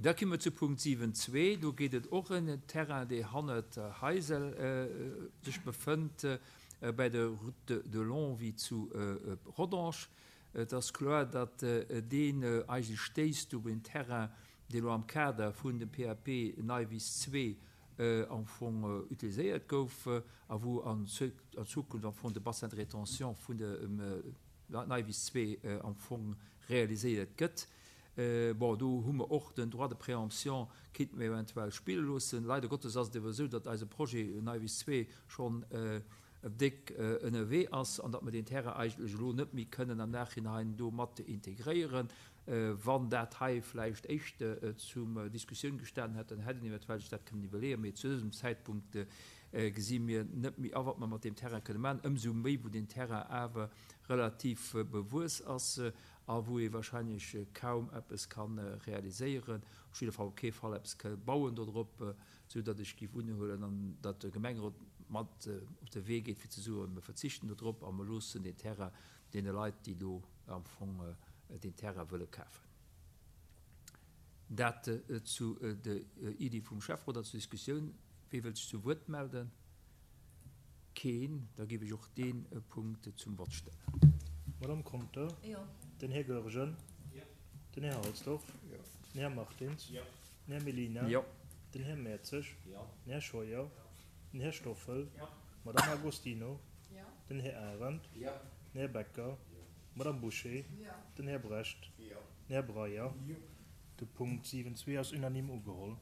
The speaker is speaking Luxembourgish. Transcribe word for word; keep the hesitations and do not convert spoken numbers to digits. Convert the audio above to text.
Da komme mer zu Punkt siwen zwee. Do geet et och ëm en Terrain, dee hannert Heisel sech befënnt, bei der Route de Longwy zu Rodange. Et ass kloer, datt deen eigentlech stéisst op en Terrain, dee lo am Kader vun dem P A P Neiwiss zwee am Fong utiliséiert gouf a wou an Zukunft am Fong de Bassin de rétention vun dem Neiwiss zwee am Fong realiséiert gëtt. Bon, do hu mer och den Droit de préemption, kéinte mer eventuell spille loossen. Leider Gottes ass et awer esou, datt eise Projet Neiwiss zwee schonn déck ënnerwee ass an datt mer deen Terrain eigentlech elo net méi kënnen am Nachhinein do mat integréieren. Wann dat hei vläicht éischter zum Diskussioun gestanen hätt, dann hätt een eventuell sech dat kënnen iwwerleeën. Mee zu dësem Zäitpunkt gesi mir net méi a, wat mer mat deem Terrain kënne maachen, ëmsou méi wou deen Terrain awer relativ bewuess ass a wou ee wahrscheinlech kaum eppes kann realiséieren, op jidde Fall op kee Fall eppes ka bauen dodrop, sou datt ech géif unhuelen an datt de Gemengerot mat op de Wee geet, fir ze soen, mir verzichten dodrop a mir loossen deen Terrain deene Leit, déi do am Fong deen Terrain wëlle kafen. Dat zu der Iddi vum Schäfferot an zur Diskussioun. Wie wëllt sech zu Wuert melden? Keen. Da géif ech och dee Punkt zum Vott stellen. Madame Conter? Jo. Den Här Goergen? Jo. Den Här Halsdorf? Jo. Den Här Martins? Jo. Den Här Mellina? Jo. Den Här Mertzig? Jo. Den Här Scheuer? Jo. Den Här Stoffel? Jo. Madame Agostino? Jo. Den Här Arendt? Jo. Den Här Becker? Jo. Madame Bouché? Jo. Den Här Brecht? Jo. Den Här Breyer? Jo. De Punkt siwen zwee ass unanime ugeholl.